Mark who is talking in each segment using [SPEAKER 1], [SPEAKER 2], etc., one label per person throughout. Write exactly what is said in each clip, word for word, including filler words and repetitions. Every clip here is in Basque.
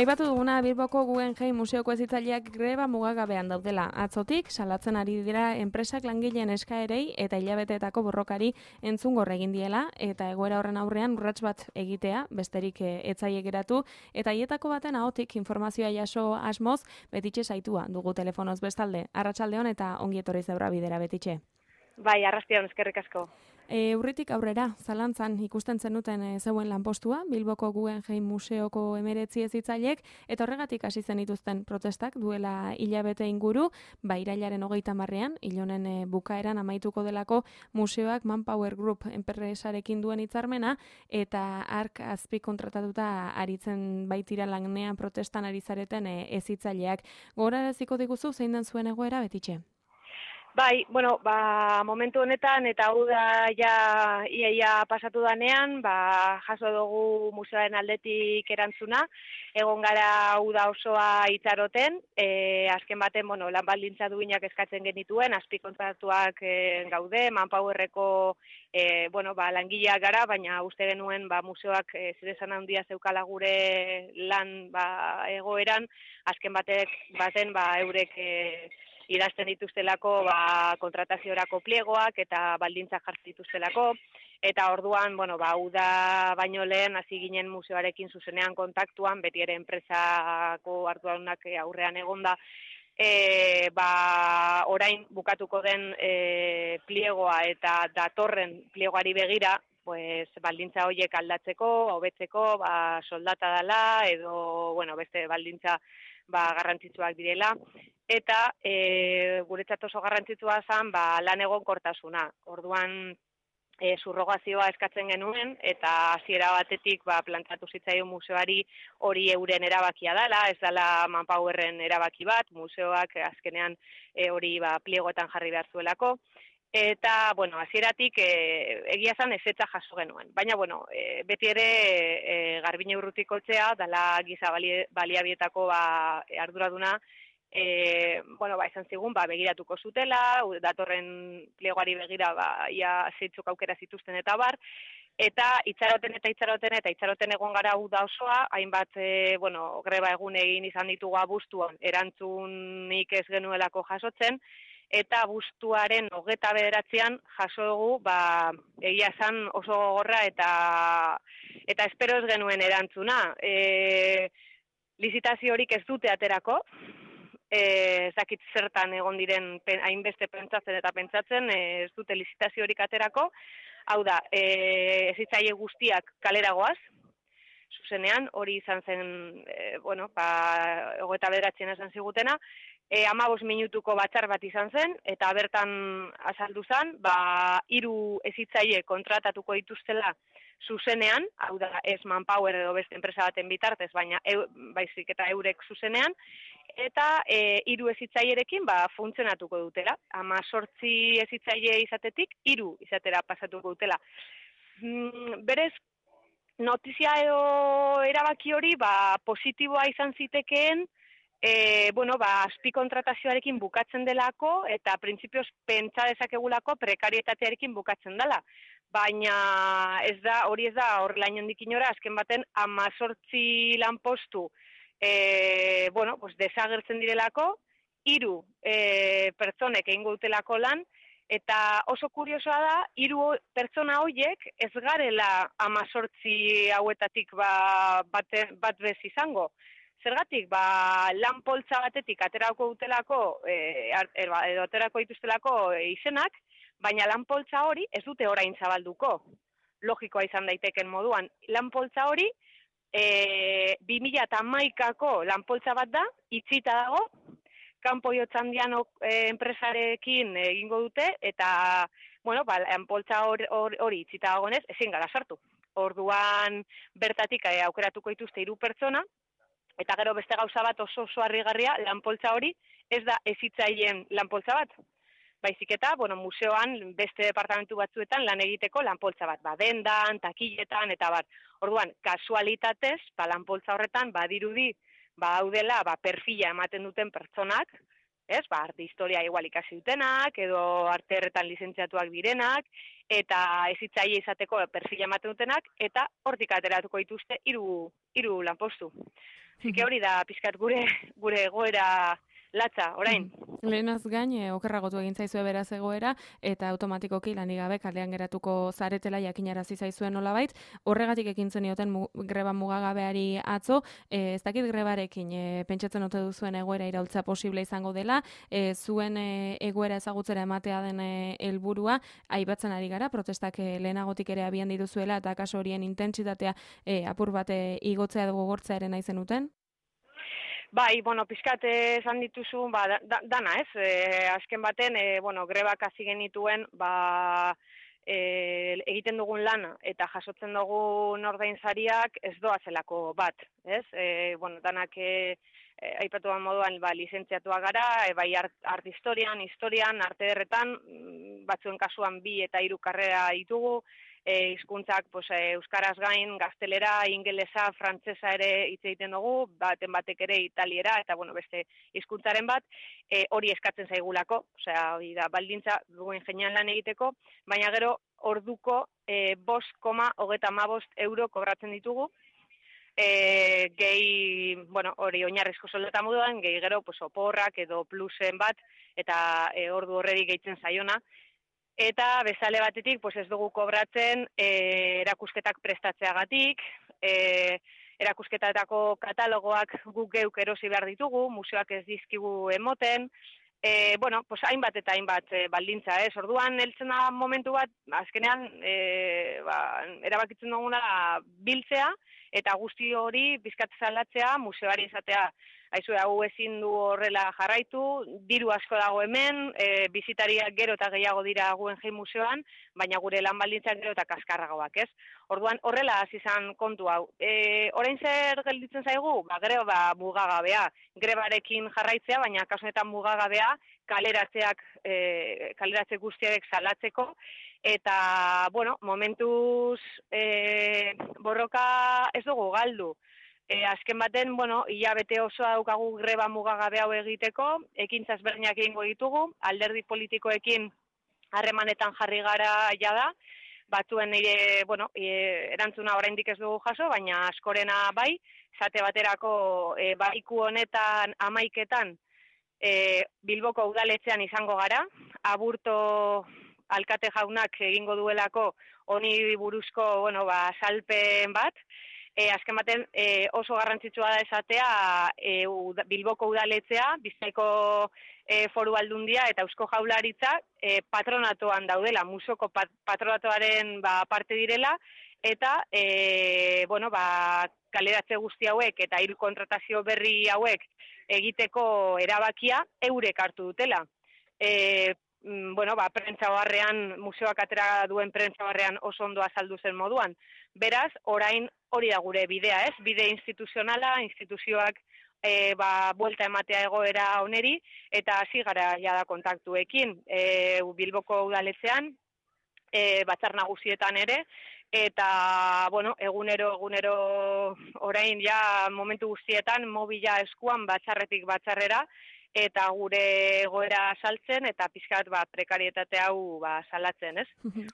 [SPEAKER 1] Aipatu duguna Bilboko Guggenheim Museoko hezitzaileak greba mugagabean daudela. Atzotik salatzen ari dira enpresak langileen eskaerei eta hilabeteetako borrokari entzungor egin diela eta egoera horren aurrean urrats bat egitea, besterik etzaile geratu eta hietako baten ahotik informazioa jaso asmoz Betitxe Saitua dugu telefonoz bestalde. Arratsaldeon eta ongi etorri Zeura Bidera, Betitxe.
[SPEAKER 2] Bai, arrastian, eskerrik asko.
[SPEAKER 1] E, urritik aurrera, zalantzan ikusten zenuten e, zeuen lanpostua, Bilboko Guggenheim Museoko emeretzi hezitzaileek, eta horregatik hasi zenituzten protestak duela hilabete inguru, ba irailaren hogeita marrean, hilonen e, bukaeran amaituko delako museoak Manpower Group enpresarekin duen hitzarmena, eta ark azpi kontratatuta aritzen baitira lanean protestan ari zareten e, hezitzaileak. Gogoraraziko diguzu zein den zuen egoera, Betitxe?
[SPEAKER 2] Bai, bueno, ba, momentu honetan eta hau da ja iaia pasatu danean, ba, jaso dugu museoaren aldetik erantzuna, egon gara hau da osoa itxaroten, e, azken baten, bueno, lan baldintza duinak eskatzen genituen, azpikontratuak e, gaude, Manpowerreko e, bueno, ba, langileak gara, baina uste genuen ba, museoak e, zeresan handia zeukala gure lan ba, egoeran, azken batek, baten ba, eurek e, idazten dituztelako ba, kontrataziorako pliegoak eta baldintzak jartzen dituztelako, eta orduan, bueno, ba, uda baino lehen hasi ginen museoarekin zuzenean kontaktuan, beti ere enpresako arduadunak aurrean egonda, e, ba, orain bukatuko den e, pliegoa eta datorren pliegoari begira, pues, baldintza horiek aldatzeko, hobetzeko, ba, soldata dela, edo, bueno, beste baldintza ba, garrantzitsuak direla, eta e, guretzat oso garrantzitsua zen ba, lan egonkortasuna. Orduan e, subrogazioa eskatzen genuen, eta hasiera batetik ba, plantatu zitzaion museoari hori euren erabakia dela, ez dela Manpowerren erabaki bat, museoak azkenean e, hori ba, pliegoetan jarri behar zuelako. Eta, bueno, hasieratik e, egia zan ezetza jaso genuen. Baina, bueno, e, beti ere e, Garbine Urrutikoetxea, dala giza baliabietako ba, arduraduna, e, bueno, ba, esan zigun, ba, begiratuko zutela, datorren pliegoari begira, ba, ia zeitzuk aukera zituzten eta bar, eta itxaroten eta itxaroten eta itxaroten egon gara hau da osoa, hainbat, e, bueno, greba egun egin izan ditugu abuztuan, erantzunik ez genuelako jasotzen, eta abuztuaren hogeta bederatzean jaso dugu, ba, egia esan oso gogorra eta eta espero ez genuen erantzuna. E, lizitazio horik ez dute aterako, e, ez dakit zertan egon diren pen, hainbeste pentsatzen eta pentsatzen, e, ez dute lizitazio horik aterako, hau da, e, ezitzaile guztiak kaleragoaz, zuzenean, hori izan zen, e, bueno, ba, hogeta bederatzean esan zigutena, E, amabos minutuko batzar bat izan zen, eta bertan azaldu zen, ba, hiru hezitzaile kontratatuko dituztela zuzenean, hau da ez Manpower edo beste enpresa baten bitartez, baina eu, baizik eta eurek zuzenean, eta e, hiru hezitzailerekin ba, funtzionatuko dutela. Hemezortzi hezitzaile izatetik, hiru izatera pasatuko dutela. Mm, berez, notizia edo erabaki hori ba, positiboa izan zitekeen, E, bueno, ba, azpikontratazioarekin bukatzen delako eta printzipioz pentsa dezakegulako prekarietatearekin bukatzen dela. Baina ez da, hori ez da horrela inondik inora, azken baten hemezortzi lanpostu e, bueno, pues desagertzen direlako, hiru e, pertsonek egingo dutelako lan, eta oso kuriosoa da, hiru pertsona horiek ez garela hemezortzi hauetatik ba, bat, bat bez izango. Zergatik, ba, lan poltsa batetik aterako dutelako, e, edo aterako dituztelako izenak, baina lan poltsa hori ez dute orain zabalduko. Logikoa izan daiteken moduan. Lan poltsa hori, e, bi mila hamaikako lan poltsa bat da, itxita dago, Kanpo Jotzandiano e, enpresarekin egingo dute, eta, bueno, ba, lan poltsa hori, hori itxita dagoenez, ezin gara sartu. Orduan bertatik e, aukeratuko dituzte hiru pertsona, eta gero beste gauza bat oso oso harrigarria, lanpoltza hori ez da hezitzaileen lanpoltza bat. Baizik eta, bueno, museoan beste departamentu batzuetan lan egiteko lanpoltza bat, ba, dendan, takiletan, eta bat. Orduan, kasualitatez, ba, lanpoltza horretan, badirudi, ba, hau dela, ba, perfila ematen duten pertsonak, ez? Ba, arte historia igual ikasi dutenak, edo arte erretan lizentziatuak direnak, eta ezitzaile izateko perfila ematen dutenak, eta hortik ateratuko dituzte hiru hiru lanpostu. Zike hori da pizkat gure gure egoera latza, orain.
[SPEAKER 1] Lehenaz gain, e, okerragotu egin zaizue beraz egoera, eta automatikoki lanik gabe kalean geratuko zaretela jakinarazi zaizuen nolabait, horregatik ekin zenioten mu, greba mugagabeari atzo, e, ez dakit grebarekin e, pentsatzen ote duzuen egoera iraultza posible izango dela, e, zuen e, egoera ezagutzera ematea den e, helburua, aipatzen ari gara, protestak e, lehenagotik ere abian dituzuela, eta kaso horien intentsitatea e, apur bate igotzea dugu gortzearen aizen uten?
[SPEAKER 2] Bai, bueno, pizkat esan dituzu, ba, da, dana, ez? E, azken baten, e, bueno, grebak hasi genituen, ba, e, egiten dugun lana eta jasotzen dugun ordainsariak ez doazelako bat, ez? E, bueno, danak e, e, aipatu moduan, ba, lizentziatua gara, e, bai art, art historian, historian, arte derretan, batzuen kasuan bi eta hiru karrera ditugu, E, hizkuntzak pues, e, euskaraz gain, gaztelera, ingelesa, frantsesa ere hitz egiten dugu, baten batek ere italiera, eta bueno, beste hizkuntzaren bat, e, hori eskatzen zaigulako, osea, hori da, baldintza duen ingenian lan egiteko, baina gero orduko e, bost koma hogeita hamabost euro kobratzen ditugu, e, gehi, bueno, hori oinarrizko soldata moduan, gehi gero pues, oporrak edo plusen bat, eta e, ordu horreri gehitzen zaiona, eta bezale batetik pues ez dugu kobratzen e, erakusketak prestatzeagatik, e, erakusketatako katalogoak guk geuk erosi behar ditugu, museoak ez dizkigu emoten, e, bueno, pues hainbat eta hainbat e, baldintza, ez? Orduan heltzen da momentu bat, azkenean e, ba, erabakitzen duguna biltzea, eta guzti hori bizkat salatzea, museoari izatea, aizu, hau ezin du horrela jarraitu, diru asko dago hemen, e, bizitariak gero eta gehiago dira Guggenheim museoan, baina gure lan baldintzak gero eta kaskarragoak, ez? Orduan, horrela hasi izan kontu hau. E, orain zer gelditzen zaigu? Ba, greba ba, mugagabea, grebarekin jarraitzea, baina kasunetan mugagabea, kaleratzeak, e, kaleratze guztiak salatzeko, eta, bueno, momentuz e, borroka ez dugu galdu. E, azken baten, bueno, hilabete osoa daukagu greba mugagabe hau egiteko, ekintza ezberdinak egingo ditugu, alderdi politikoekin harremanetan jarri gara jada, batzuen nire, bueno, e, erantzuna oraindik ez dugu jaso, baina askorena bai, zate baterako e, baiku honetan amaiketan e, Bilboko udaletxean izango gara, aburto alkate jaunak egingo duelako honi buruzko, bueno, ba, salpen bat, E, azken baten e, oso garrantzitsua da esatea e, uda, Bilboko udaletxea, Bizkaiko e, foru aldundia eta Eusko Jaurlaritza e, patronatoan daudela, musoko pat, patronatoaren ba, parte direla, eta e, bueno, ba, kaleratze guzti hauek eta hiru kontratazio berri hauek egiteko erabakia eurek hartu dutela. E, bueno, ba, prentzabarrean, museoak atera duen prentzabarrean oso ondo azaldu zen moduan. Beraz, orain hori da gure bidea, ez? Bide instituzionala, instituzioak e, ba, buelta ematea egoera oneri, eta hasi gara jada kontaktuekin. E, Bilboko udaletxean, e, batzar nagusietan ere, eta, bueno, egunero, egunero orain ja momentu guztietan, mobila eskuan batzarretik batzarrera, eta gure egoera saltzen, eta pizkat ba, prekarietate hau ba, salatzen, ez?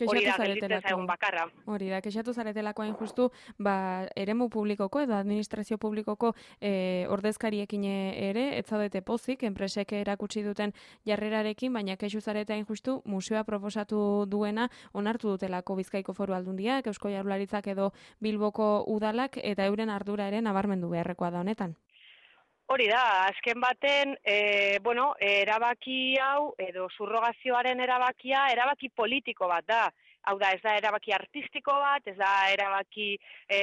[SPEAKER 2] Hori da, gelditzen zaigun bakarra.
[SPEAKER 1] Hori da, kexatu zaretelako hain justu, ba, eremu publikoko edo administrazio publikoko e, ordezkariekin ere, ez zaudete pozik, enpresek erakutsi duten jarrerarekin, baina kexu zarete hain justu, museoa proposatu duena onartu dutelako Bizkaiko foru aldundiak, Eusko Jaurlaritzak edo Bilboko udalak, eta euren ardura ere nabarmendu beharrekoa da honetan.
[SPEAKER 2] Hori da, azken baten, e, bueno, erabaki hau, edo subrogazioaren erabakia, erabaki politiko bat da. Hau da, ez da erabaki artistiko bat, ez da erabaki, e,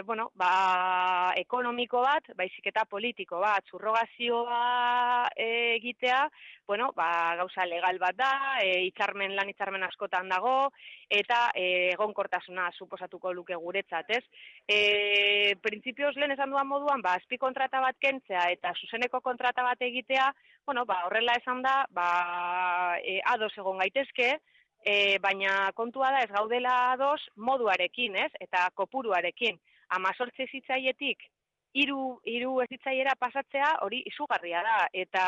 [SPEAKER 2] bueno, ba, ekonomiko bat, baizik eta politiko bat. Subrogazioa e, egitea, bueno, ba, gauza legal bat da, e, hitzarmen, lan hitzarmen askotan dago, eta e, egonkortasuna suposatuko luke guretzat, ez? E, printzipioz lehen esan duan moduan, ba, azpi kontrata bat kentzea eta zuzeneko kontrata bat egitea, bueno, ba, horrela esan da, ba, e, ados egon gaitezke, e, baina kontua da ez gaudela ados moduarekin, ez? Eta kopuruarekin. Amazortzi zitzaietik hiru hiru hezitzaiera pasatzea hori izugarria da eta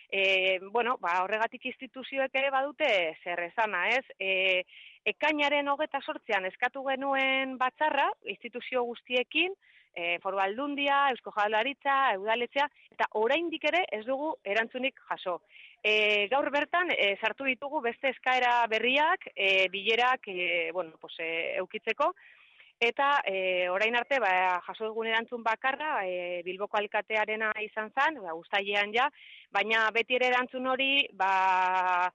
[SPEAKER 2] e, bueno, ba, horregatik instituzioek ere badute zer esana, ez? E, ekainaren hogeta sortzean eskatu genuen batzarra instituzio guztiekin, e, Foru Aldundia, Eusko Jaurlaritza, Udaletxea, eta oraindik ere ez dugu erantzunik jaso. E, gaur bertan e, sartu ditugu beste eskaera berriak, e, bilerak e, bueno, pues, e, eukitzeko. Eta e, orain arte, ba, jaso dugun erantzun bakarra, e, Bilboko alkatearena izan zen, ba, uztailean ja, baina beti ere erantzun hori, ba,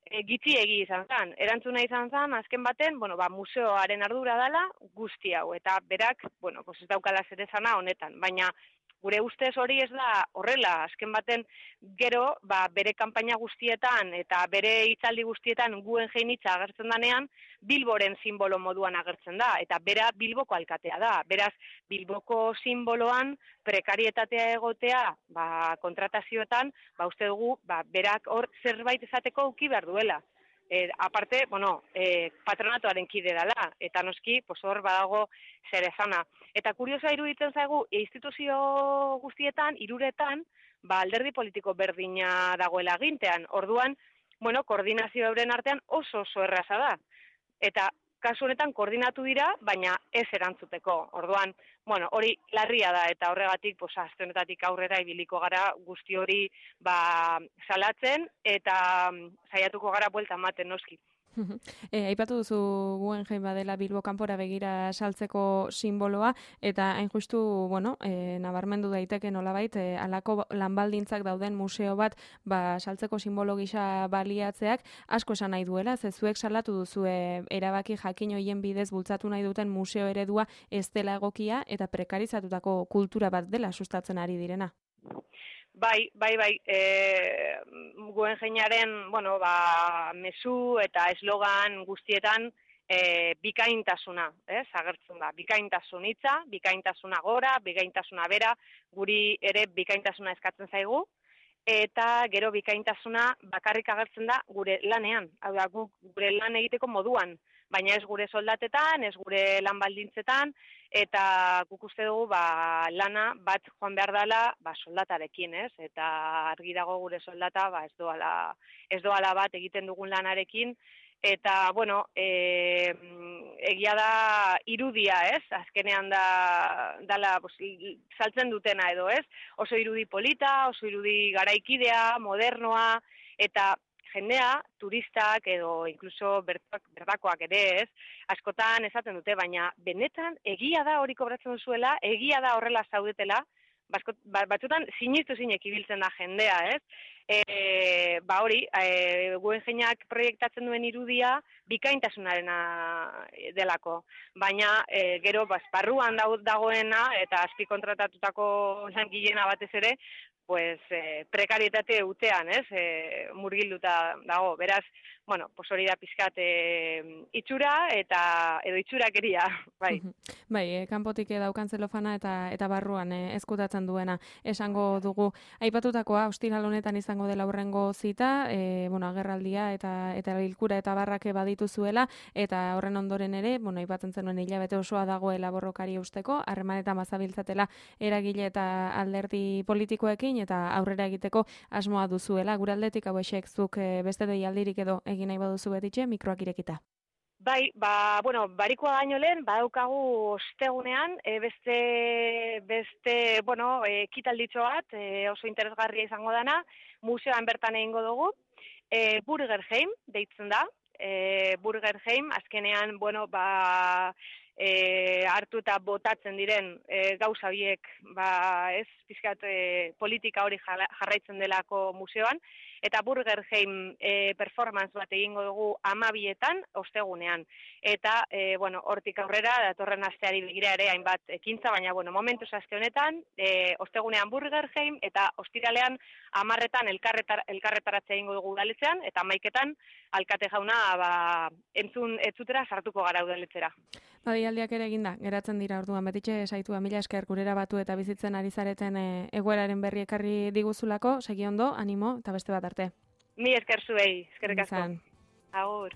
[SPEAKER 2] e, gitxiegi izan zen. Erantzuna izan zen, azken baten, bueno, ba, museoaren ardura dela guzti hau, eta berak, bueno, pues ez daukala zer esana honetan, baina gure ustez hori ez da horrela, azken baten gero, ba, bere kanpaina guztietan eta bere hitzaldi guztietan Guggenheim hitza agertzen danean, Bilboren sinbolo moduan agertzen da, eta bera Bilboko alkatea da. Beraz, Bilboko sinboloan prekarietatea egotea, ba, kontratazioetan, ba, uste dugu, ba, berak hor zerbait esateko uki behar duela. E, aparte, bueno, e, patronatuaren kide dela, eta noski, pues hor badago zer esana. Eta kuriosoa iruditzen zaigu, instituzio guztietan, hiruretan, ba, alderdi politiko berdina dagoela gintean. Orduan, bueno, koordinazio euren artean oso oso erraza da. Eta kasu honetan koordinatu dira, baina ez erantzuteko. Orduan, bueno, hori larria da, eta horregatik, pues, aste honetatik aurrera ibiliko gara guzti hori ba, salatzen, eta saiatuko gara buelta ematen noski.
[SPEAKER 1] E, aipatu duzu Guggenheim badela Bilbo kanpora begira saltzeko simboloa, eta hain justu, bueno, e, nabarmendu daiteke nolabait, e, alako lanbaldintzak dauden museo bat ba, saltzeko simbolo gisa baliatzeak asko esan nahi duela, ze zuek salatu duzu e, erabaki jakin hoien bidez bultzatu nahi duten museo eredua ez dela egokia eta prekarizatutako kultura bat dela sustatzen ari direna.
[SPEAKER 2] Bai, bai, bai, e, Guggenheimaren, bueno, ba, mezu eta eslogan guztietan e, bikaintasuna, ez, agertzen da. Bikaintasun hitza, bikaintasuna gora, bikaintasuna bera, guri ere bikaintasuna eskatzen zaigu, eta gero bikaintasuna bakarrik agertzen da gure lanean, hau da, gure lan egiteko moduan, baina ez gure soldatetan, ez gure lan baldintzetan, eta guk uste dugu ba, lana bat joan behar dela ba, soldatarekin, ez? Eta argi dago gure soldata ba, ez doala, ez doala bat egiten dugun lanarekin, eta, bueno, e, egia da irudia, ez? Azkenean da, dala, pues, saltzen dutena edo, ez? Oso irudi polita, oso irudi garaikidea, modernoa, eta jendea, turistak edo inkluso bertakoak ere ez, askotan esaten dute, baina benetan egia da hori kobratzen duzuela, egia da horrela zaudetela, batzutan sinistu zinek ibiltzen da jendea, ez? E, ba hori, e, Guggenheimak proiektatzen duen irudia bikaintasunarena delako, baina e, gero barruan dagoena eta azpikontratatutako langilena batez ere, pues, eh, prekarietate utean, ez, eh, murgilduta dago. Beraz, bueno, pues hori da pizkat eh, itxura eta edo itxurakeria, bai.
[SPEAKER 1] Bai, eh, kanpotik daukan zelofana eta eta barruan eh, ezkutatzen duena. Esango dugu, aipatutakoa ostiral honetan izango dela hurrengo zita, eh, bueno, agerraldia eta eta bilkura eta barrake baditu zuela, eta horren ondoren ere, bueno, aipatzen zenuen hilabete osoa dagoela borrokari usteko, harremanetan bazabiltzatela eragile eta alderdi politikoekin, eta aurrera egiteko asmoa duzuela. Gure aldetik hauexek zuk beste deialdirik edo egin nahi baduzu betitxe, mikroak irekita.
[SPEAKER 2] Bai, ba, bueno, barikoa baino lehen, badaukagu ostegunean, e, beste, beste, bueno, e, ekitalditxo bat, e, oso interesgarria izango dana, museoan bertan egingo dugu, e, Burgerheim deitzen da, e, Burgerheim, azkenean, bueno, ba, E, hartu eta botatzen diren e, gauza horiek ba, ez, pizkat e, politika hori jarraitzen delako museoan, eta Burgerheim e, performance bat egingo dugu amabietan ostegunean. Eta, e, bueno, hortik aurrera, datorren asteari begira ere hainbat ekintza, baina, bueno, momentuz aste honetan, e, ostegunean Burgerheim, eta ostiralean amarretan elkarretar, elkarretaratzea egingo dugu udaletxean, eta hamaiketan alkate jauna ba, entzun etzutera sartuko gara udaletzera.
[SPEAKER 1] Badialdiak ere eginda, geratzen dira orduan, betitxe saitua mila esker gurera batu eta bizitzen ari zareten e, egoeraren berri ekarri diguzulako, segi ondo, animo, eta beste bat arte.
[SPEAKER 2] Mi esker zuei, eskerrik asko. Agur.